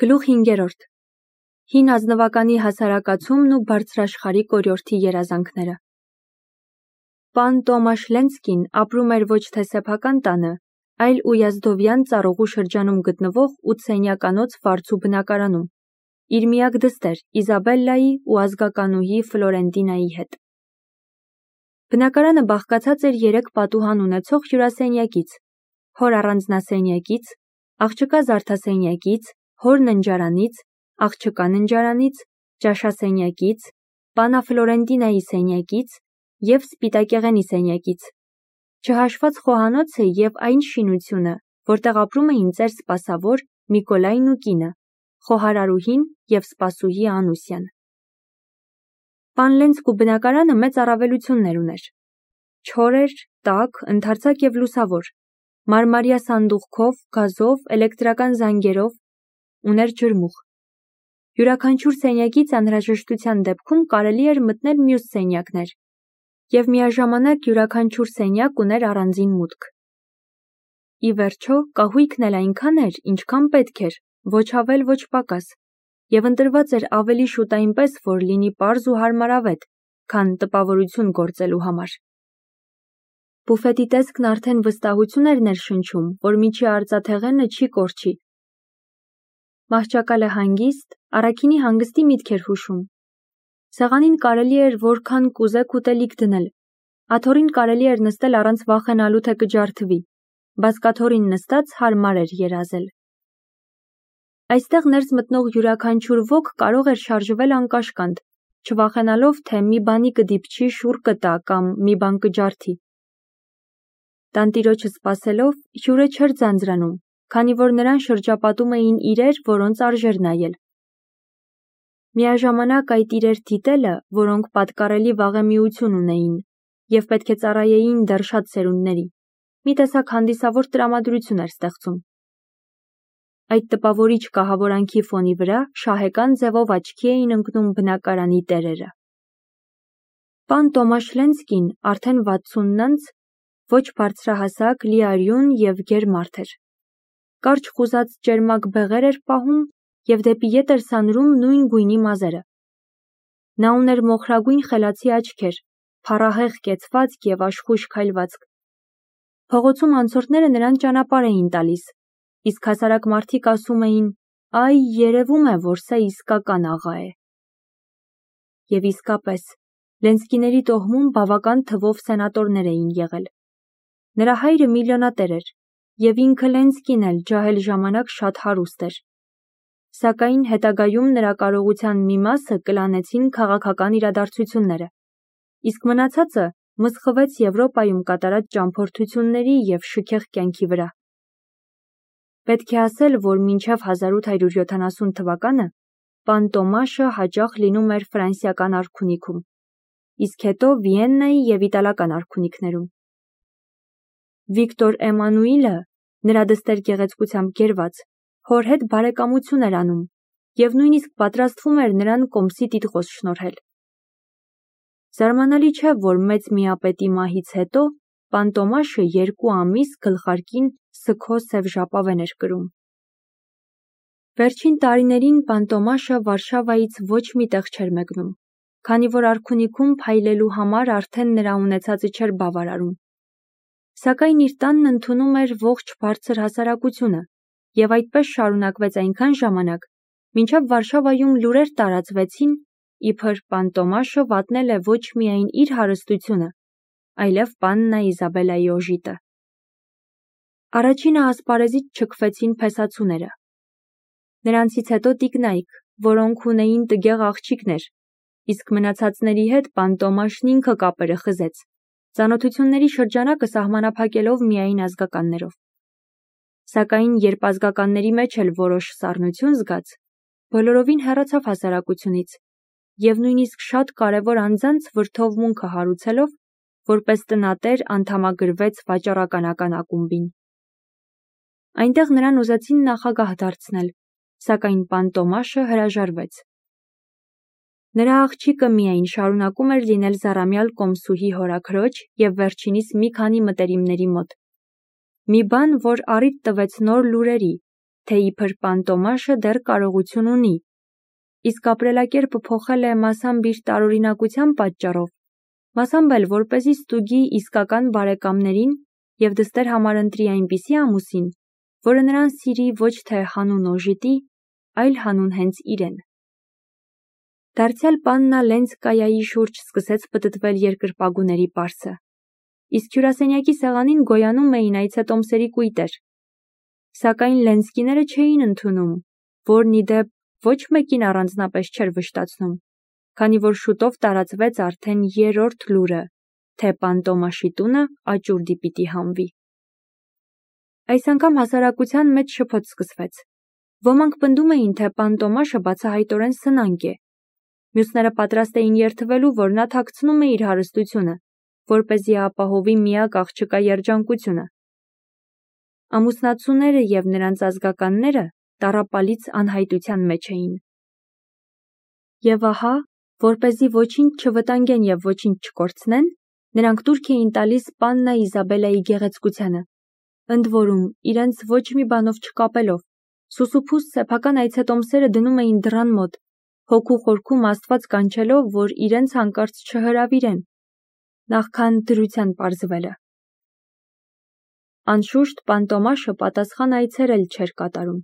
Գլուխ 5. Հին ազնվականի հասարակացումն ու բարձրաշխարհիկ օրիորդի երազանքները։ Պան Տոմաշ Լենսկին ապրում էր ոչ թե սեփական տանը, այլ Ույազդովյան ծառուղու շրջանում գտնվող 8 սենյականոց վարձու բնակարանում, իր միակ դստեր Իզաբելլայի ու ազգականուհի Ֆլորենտինայի հետ։ Բնակարանը բաղկացած էր 3 պատուհան ունեցող հյուրասենյակից, հոր առանձնասենյակից, աղջկա զարդասենյակից, հոր ննջարանից, աղջկա ննջարանից, ճաշասենյակից, պանա Ֆլորենտինայի սենյակից և սպիտակեղենի սենյակից, չհաշված խոհանոցը և այն շինությունը, որտեղ ապրում էին ծեր սպասավոր Միկոլայն ու կինը, խոհարարուհին և սպասուհի Անուսյան։ Պան Լենսկու բնակարանը մեծ առավելություններ ուներ. չոր էր, տաք, ընդարձակ և լուսավոր, մարմարյա սանդուղքով, գազով, էլեկտրական զանգերով, ուներ ջրմուղ։ Յուրաքանչյուր սենյակից անհրաժեշտության դեպքում կարելի էր մտնել մյուս սենյակներ, և միաժամանակ յուրաքանչյուր սենյակ ուներ առանձին մուտք։ Ի վերջո, կահույքն էլ այնքան էր, ինչքան պետք էր, ոչ ավել, ոչ պակաս, և ընտրված էր ավելի շուտ այնպես, որ լինի պարզ ու հարմարավետ, քան տպավորություն գործելու համար։ Բուֆետի տեսքն արդեն վստահություն էր ներշնչում, որ միջի արծաթեղենը չի կորչի։ Մահճակալը հանգիստ, առաքինի հանգստի միտք էր հուշում։ Սեղանին կարելի էր որքան կուզեք ուտելիք դնել, աթոռին կարելի էր նստել առանց վախենալու, թե կջարդվի, բազկաթոռին նստած հարմար էր երազել։ Այստեղ ներս մտնող յուրաքանչյուր ոք կարող էր շարժվել անկաշկանդ, չվախենալով, թե մի բանի կդիպչի, շուռ կտա կամ մի բան կջարդի։ Տանտիրոջը սպասելով, հյուրը չէր ձանձրանում, քանի որ նրան շրջապատում էին իրեր, որոնց արժեր նայել։ Միաժամանակ այդ իրեր դիտելը, որոնք պատկառելի վաղեմիություն ունեին և պետք է ծառայեին դեռ շատ սերունդների, մի տեսակ հանդիսավոր տրամադրություն էր ստեղծում։ Այդ տպավորիչ կահավորանքի ֆոնի վրա շահեկան ձևով աչքի էին ընկնում բնակարանի տերերը։ Պան Տոմաշ Լենսկին արդեն 60-ն անց ոչ բարձրահասակ, լիարյուն և գեր մարդ էր։ Կարճ խուզած ճերմակ բեղեր էր պահում և դեպի ետ էր սանրում նույն գույնի մազերը։ Նա ուներ մոխրագույն խելացի աչքեր, փառահեղ կեցվածք և աշխույժ քայլվածք։ Փողոցում անցորդները նրան ճանապարհ էին տալիս, իսկ հասարակ մարդիկ ասում էին. «Այ, երևում է, որ սա իսկական աղա է»։ Եվ իսկապես, Լենսկիների տոհմում բավական թվով սենատորներ էին եղել։ Նրա հայրը միլիոնատեր էր, և ինքը Լենսկին էլ ջահել ժամանակ շատ հարուստ էր։ Սակայն հետագայում նրա կարողության մի մասը կլանեցին քաղաքական իրադարձությունները, իսկ մնացածը մսխվեց Եվրոպայում կատարած ճամփորդությունների և շքեղ կյանքի վրա։ Պետք է ասել, որ մինչև 1870 թվականը պան Տոմաշը հաճախ լինում էր ֆրանսիական արքունիքում, իսկ հետո Վիեննայի և իտալական արքունիքներում։ Վիկտոր Էմանուիլը, նրա դստեր գեղեցկությամբ գերված, հոր հետ բարեկամություն էր անում և նույնիսկ պատրաստվում էր նրան կոմսի տիտղոս շնորհել։ Զարմանալի չէ, որ մեծ միապետի մահից հետո պան Տոմաշը 2 ամիս գլխարկին սգո սև ժապավեն էր կրում։ Վերջին տարիներին պան Տոմաշը Վարշավայից ոչ մի տեղ չէր մեկնում, քանի որ արքունիքում փայլելու համար արդեն նրա ունեցածը չէր բավարարում։ Սակայն իր տանն ընդունում էր ողջ բարձր հասարակությունը, և այդպես շարունակվեց այնքան ժամանակ, մինչև Վարշավայում լուրեր տարածվեցին, իբր պան Տոմաշը վատնել է ոչ միայն իր հարստությունը, այլև պաննա Իզաբելայի օժիտը։ Առաջինը ասպարեզից չքվեցին փեսացուները։ Նրանցից հետո տիկնայք, որոնք ունեին տգեղ աղջիկներ, իսկ մնացածների հետ պան Տոմաշն ինքը կապերը խզեց, ծանոթությունների շրջանակը սահմանափակելով միայն ազգականներով։ Սակայն երբ ազգականների մեջ էլ որոշ սառնություն զգաց, բոլորովին հեռացավ հասարակությունից և նույնիսկ շատ կարևոր անձանց վրդովմունքը հարուցելով, որպես տնատեր անդամագրվեց վաճառականական ակումբին։ Այնտեղ նրան ուզեցին նախագահ դարձնել, սակայն պան Տոմաշը հրաժարվեց։ Նրա աղջիկը միայն շարունակում էր լինել զառամյալ կոմսուհի հորաքրոջ և վերջինիս մի քանի մտերիմների մոտ։ Մի բան, որ առիթ տվեց նոր լուրերի, թե իբր պան Տոմաշը դեռ կարողություն ունի, իսկ ապրելակերպը փոխել է մասամբ իր տարօրինակության պատճառով, մասամբ էլ որպեսզի ստուգի իսկական բարեկամներին և դստեր համարընտրի այնպիսի ամուսին, որը նրան սիրի ոչ թե հանուն օժիտի, այլ հանուն հենց իրեն։ Դարձյալ պաննա Լենցկայայի շուրջ սկսեց պտտվել երկրպագուների պարսը, իսկ հյուրասենյակի սեղանին գոյանում էին այցետոմսերի կույտեր, սակայն Լենցկիները չէին ընդունում, որն ի դեպ ոչ մեկին առանձնապես չէր վշտացնում, քանի որ շուտով տարածվեց արդեն երրորդ լուրը, թե պան Տոմաշի տունը աճուրդի պիտի հանվի։ Այս անգամ հասարակության մեջ շփոթ սկսվեց։ Ոմանք պնդում էին, թե պան Տոմաշը բացահայտորեն սնանկ է։ Մյուսները պատրաստ էին երդվելու, որ նա թաքցնում է իր հարստությունը, որպեսզի ապահովի միակ աղջկա երջանկությունը։ Ամուսնացուները և նրանց ազգականները տառապալից անհայտության մեջ էին։ Եվ ահա, որպեսզի ոչինչ չվտանգեն և ոչինչ չկորցնեն, նրանք տուրք էին տալիս պաննա Իզաբելայի գեղեցկությանը, ընդ որում իրենց ոչ մի բանով չկապելով, սուսուփուս սեփական այցետոմսերը դնում էին դռան մոտ, հոգու խորքում Աստված կանչելով, որ իրենց հանկարծ չհրավիրեն, նախքան դրության պարզվելը։ Անշուշտ պան Տոմաշը պատասխան այցեր էլ չէր կատարում։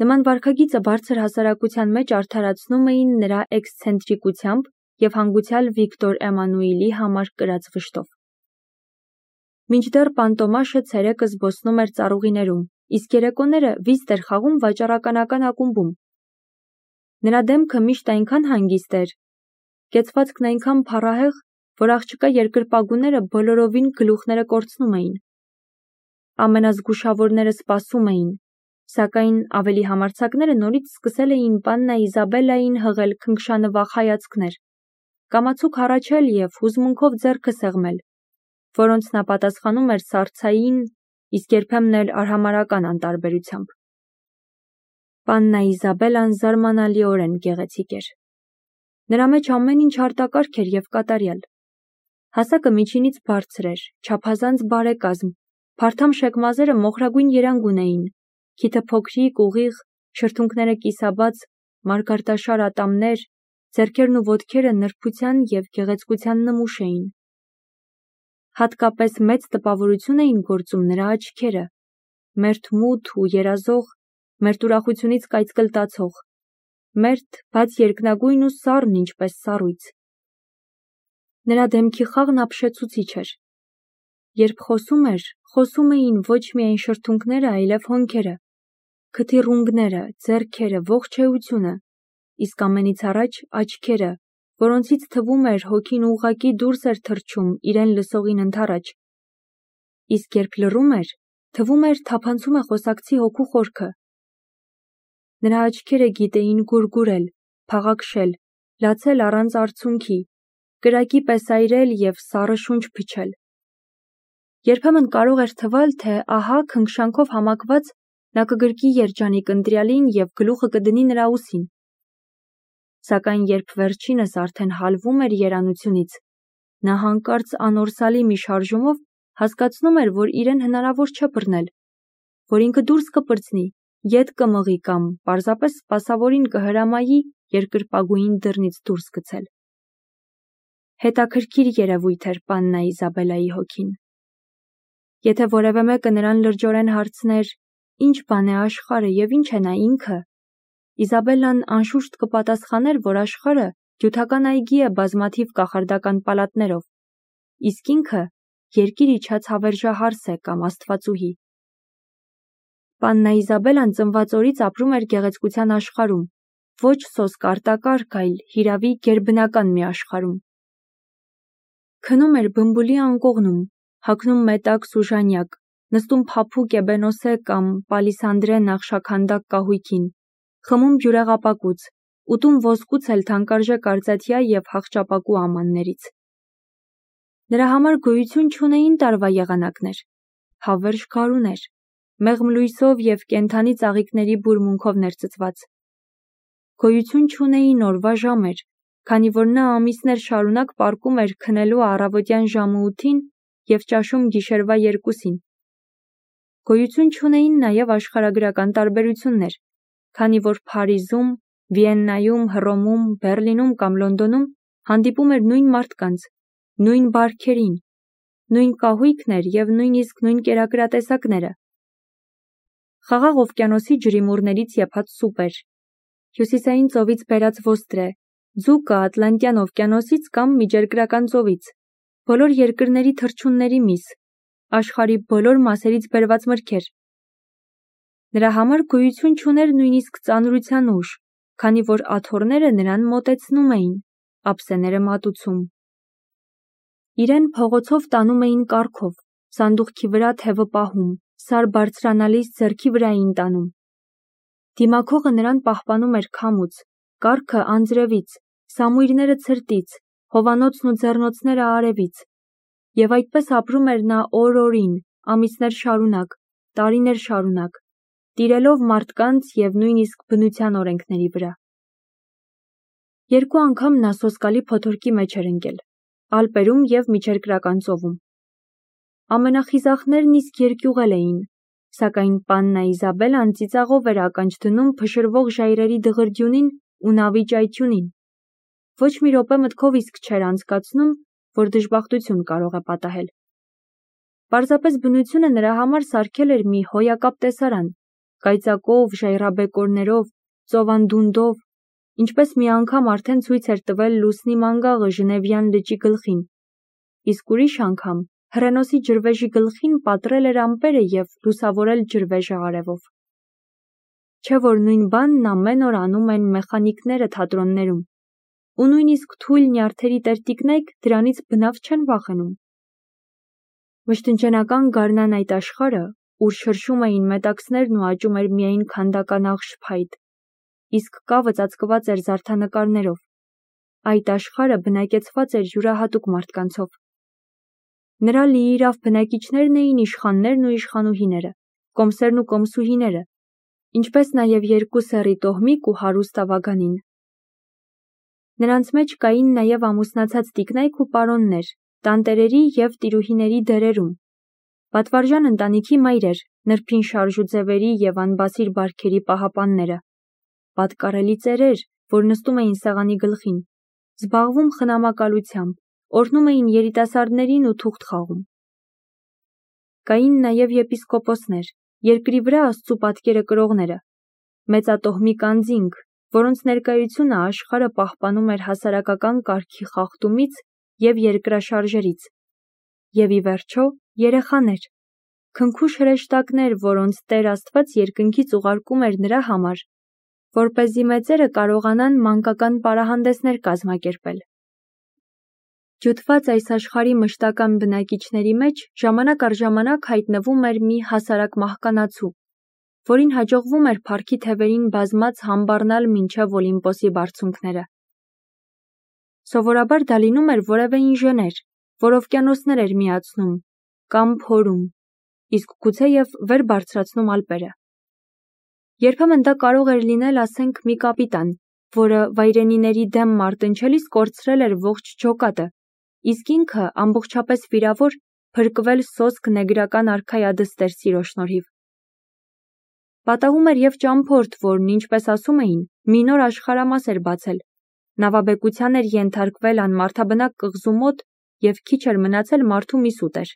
Նման վարքագիծը բարձր հասարակության մեջ արդարացնում էին նրա էքսցենտրիկությամբ և հանգուցյալ Վիկտոր Էմանուիլի համար կրած վշտով։ Մինչդեռ պան Տոմաշը ցերեկը զբոսնում էր ծառուղիներում, իսկ երեկոները վիզտ էր խաղում վաճառականական ակումբում։ Նրա դեմքը միշտ այնքան հանգիստ էր, կեցվածքն այնքան փառահեղ, որ աղջկա երկրպագուները բոլորովին գլուխները կորցնում էին։ Ամենազգուշավորները սպասում էին, սակայն ավելի համարձակները նորից սկսել էին պաննա Իզաբելային հղել քնքշանվախ հայացքներ, կամացուկ հառաչել և հուզմունքով ձեռքը սեղմել, որոնց նա պատասխանում էր սառցային, իսկ երբեմն էլ արհամարհական անտարբերությամբ։ Պաննա Իզաբելան զարմանալիորեն գեղեցիկ էր։ Նրա մեջ ամեն ինչ արտակարգ էր և կատարյալ։ Հասակը միջինից բարձր էր, չափազանց բարեկազմ, փարթամ շեկ մոխրագույն երանգ ունեին, քիթը փոքրիկ, ուղիղ, շրթունքները կիսաբաց, մարգարտաշար ատամներ, ձեռքերն ու ոտքերը նրբության և գեղեցկության նմուշ էին։ Հատկապես մեծ տպավորություն էին գործում նրա աչքերը, մերթ մութ ու երազող, մերթ ուրախությունից կայծկլտացող, մերթ, բայց երկնագույն ու սառն ինչպես սառույց։ Նրա դեմքի խաղն ապշեցուցիչ էր։ Երբ խոսում էր, խոսում էին ոչ միայն շրթունքները, այլև հոնքերը, քթիռունգները, ձեռքերը, ողջ էությունը, իսկ ամենից առաջ աչքերը, որոնցից թվում էր հոգին ուղղակի դուրս էր թռչում իրեն լսողին ընդառաջ, իսկ երբ լռում էր, թվում էր թափանցում է խոսակցի հոգու խորքը։ Նրա աչքերը գիտեին գուրգուրել, փաղաքշել, լացել առանց արցունքի, կրակի պես այրել և սառը շունչ փչել։ Երբեմն կարող էր թվալ, թե ահա քնքշանքով համակված նա կգրկի երջանիկ ընտրյալին և գլուխը կդնի նրա ուսին։ Սակայն երբ վերջինս արդեն հալվում էր երանությունից, նա հանկարծ անորսալի մի շարժումով հասկացնում էր, որ իրեն հնարավոր չէ բռնել, որ ինքը դուրս կպրծնի, ետ կմղի կամ պարզապես սպասավորին կհրամայի երկրպագուին դռնից դուրս գցել։ Հետաքրքիր երևույթ էր պաննա Իզաբելայի հոգին։ Եթե որևէ մեկը նրան լրջորեն հարցներ, ինչ բան է աշխարհը և ինչ է նա ինքը, Իզաբելլան անշուշտ կպատասխաներ, որ աշխարհը գյուտական այգի է բազմաթիվ կախարդական պալատներով, իսկ ինքը երկիր իջած հավերժահարս է կամ աստվածուհի։ Պաննա Իզաբելլան ծնված օրից ապրում էր գեղեցկության աշխարհում, ոչ սոսկ արտակարգ, այլ հիրավի գերբնական մի աշխարհում։ Քնում էր բմբուլի անկողնում, հագնում մետաքս ու ժանյակ, նստում փափուկ էբենոսե կամ պալիսանդրե նախշաքանդակ կահույքին, խմում բյուրեղապակուց, ուտում ոսկուց էլ թանկարժեք արծաթյա և հախճապակու ամաններից։ Նրա համար գոյություն չունեին տարվա եղանակներ, հավերժ գարուներ, մեղմ լույսով և կենդանի ծաղիկների բուրմունքով ներծծված։ Գոյություն չունեին օրվա ժամեր, քանի որ նա ամիսներ շարունակ պառկում էր քնելու առավոտյան ժամը 8-ին և ճաշում գիշերվա 2-ին։ Գոյություն չունեին նաև աշխարհագրական տարբերություններ, քանի որ Փարիզում, Վիեննայում, Հռոմում, Բեռլինում կամ Լոնդոնում հանդիպում էր նույն մարդկանց, նույն բարքերին, նույն կահույքն էր և նույնիսկ նույն կերակրատեսակները։ Խաղաղ օվկիանոսի ջրիմուռներից եփած սուպ էր, Հյուսիսային ծովից բերած ոստրե, ձուկը Ատլանտյան օվկիանոսից կամ Միջերկրական ծովից, բոլոր երկրների թռչունների միս, աշխարհի բոլոր մասերից բերված մրգեր։ Նրա համար գոյություն չուներ նույնիսկ ծանրության ուժ, քանի որ աթոռները նրան մոտեցնում էին, ափսեները մատուցում։ Իրեն փողոցով տանում էին կառքով, սանդուղքի վրա թևը պահում, սար բարձրանալիս ձեռքի վրա էին տանում։ Դիմակողը նրան պահպանում էր քամուց, կառքը անձրևից, սամույրները ցրտից, հովանոցն ու ձեռնոցները արևից, և այդպես ապրում էր նա օր-օրին, ամիսներ շարունակ, տարիներ շարունակ, տիրելով մարդկանց և նույնիսկ բնության օրենքների վրա։ Երկու անգամ նա սոսկալի փոթորկի մեջ էր ընկել, Ալպերում և Միջերկրական ծովում։ Ամենախիզախներն իսկ երկյուղել էին, սակայն պաննա Իզաբելան ծիծաղով էր ականջ դնում փշրվող ժայռերի դղրդյունին ու նավի ճայթյունին։ Ոչ մի րոպե մտքով իսկ չէր անցկացնում, որ դժբախտություն կարող է պատահել։ Պարզապես բնությունը նրա համար սարքել էր մի հոյակապ տեսարան, կայծակով, ժայռաբեկորներով, ծովանդունդով, ինչպես մի անգամ արդեն ցույց էր տվել լուսնի մանգաղը Ժնևյան լճի գլխին, իսկ ուրիշ անգամ հռենոսի ջրվեժի գլխին պատռել էր ամպերը և լուսավորել ջրվեժը արևով։ Չէ՞ որ նույն բանն ամեն օր անում են մեխանիկները թատրոններում, ու նույնիսկ թույլ նյարդերի տերտիկնայք դրանից բնավ չեն վախենում։ Վշտընկերական գարնան այդ աշխարհը, ուր շրշում էին մետաքսներն ու աճում էր միայն քանդականաղ շփայտ, իսկ կավը ծածկված էր զարդանկարներով, այդ աշխարհը բնակեցված էր յուրահատուկ մարդկանցով։ Նրա լիիրավ բնակիչներն էին իշխաններն ու իշխանուհիները, կոմսերն ու կոմսուհիները, ինչպես նաև երկու սեռի տոհմիկ ու հարուստ ավագանին։ Նրանց մեջ կային նաև ամուսնացած տիկնայք ու պարոններ, տանտերերի և տիրուհիների դերերում, պատվարժան ընտանիքի մայրեր, նրբին շարժուձևերի և անբասիր բարքերի պահապանները, պատկառելի ծերեր, որ նստում էին սեղանի գլխին, զբաղվում խնամակալությամբ, օրհնում էին երիտասարդներին ու թուղթ խաղում։ Կային նաև եպիսկոպոսներ, երկրի վրա Աստծու պատկերը կրողները, մեծատոհմիկ անձինք, որոնց ներկայությունը աշխարհը պահպանում էր հասարակական կարգի խախտումից և երկրաշարժերից, և ի վերջո երեխաներ, քնքուշ հրեշտակներ, որոնց Տեր Աստված երկնքից ուղարկում էր նրա համար, որպեսզի մեծերը կարողանան մանկական պարահանդեսներ կազմակերպել։ Ջութված այս աշխարհի մշտական բնակիչների մեջ ժամանակ առ ժամանակ հայտնվում էր մի հասարակ մահկանացու, որին հաջողվում էր փառքի թևերին բազմած համբառնալ մինչև Օլիմպոսի բարձունքները։ Սովորաբար դա լինում էր որևէ ինժեներ, որ օվկիանոսներ էր միացնում կամ փորում, իսկ գուցեև վեր բարձրացնում ալպերը։ Երբեմն դա կարող էր լինել, ասենք, մի կապիտան, որը վայրենիների դեմ մարտնչելիս կորցրել էր ողջ ջոկատը, իսկ ինքը ամբողջապես վիրավոր փրկվել սոսկ նեգրական արքայադստեր սիրո շնորհիվ։ Պատահում էր և ճամփորդ, որն, ինչպես ասում էին, մի նոր աշխարհամաս էր բացել, նավաբեկության էր ենթարկվել անմարդաբնակ կղզու մոտ և քիչ էր մնացել մարդու մի սուտեր։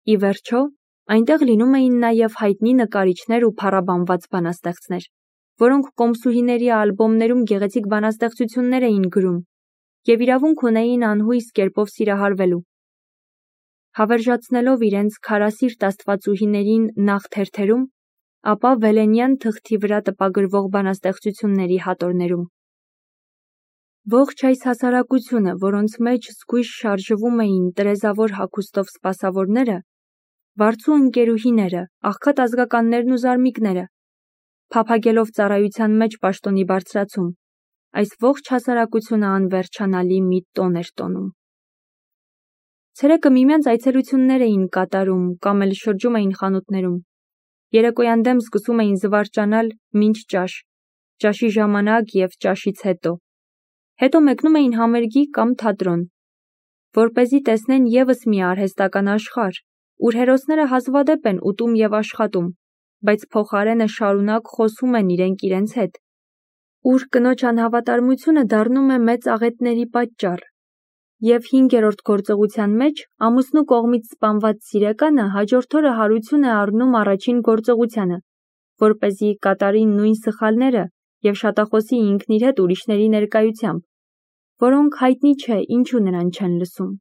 Ի վերջո, այնտեղ լինում էին նաև հայտնի նկարիչներ ու փառաբանված բանաստեղծներ, որոնք կոմսուհիների ալբոմներում գեղեցիկ բանաստեղծություններ էին գրում և իրավունք ունեին անհույս կերպով սիրահարվելու։ Հավերժացնելով իրենց քարասիրտ աստվածուհիներին նախ թերթերում, ապա վելենյան թղթի վրա տպագրվող բանաստեղծությունների հատորներում։ Ողջ այս հասարակությունը, որոնց մեջ զգույշ շարժվում էին տրեզավոր հագուստով սպասավորները, վարձու ընկերուհիները, աղքատ ազգականներն ու զարմիկները, փափագելով ծառայության մեջ պաշտոնի բարձրացում, այս ողջ հասարակությունը անվերջանալի մի տոն էր տոնում։ Ցերեկը միմյանց այցելություններ էին կատարում կամ էլ շրջում էին խանութներում։ Երեկոյան դեմ սկսում էին զվարճանալ մինչ ճաշ, ճաշի ժամանակ և ճաշից հետո մեկնում էին համերգի կամ թատրոն, որպեսզի տեսնեն ևս մի արհեստական աշխարհ, ուր հերոսները հազվադեպ են ուտում և աշխատում, բայց փոխարենը շարունակ խոսում են իրենք իրենց հետ, ուր կնոջ անհավատարմությունը դառնում է մեծ աղետների պատճառ, և 5-րդ գործողության մեջ ամուսնու կողմից սպանված սիրեկանը հաջորդ օրը հարություն է առնում առաջին գործողությանը, որպեսզի կատարի նույն սխալները և շատախոսի ինքն իր հետ ուրիշների ներկայությամբ, որոնք հայտնի չէ ինչու նրան չեն լսում։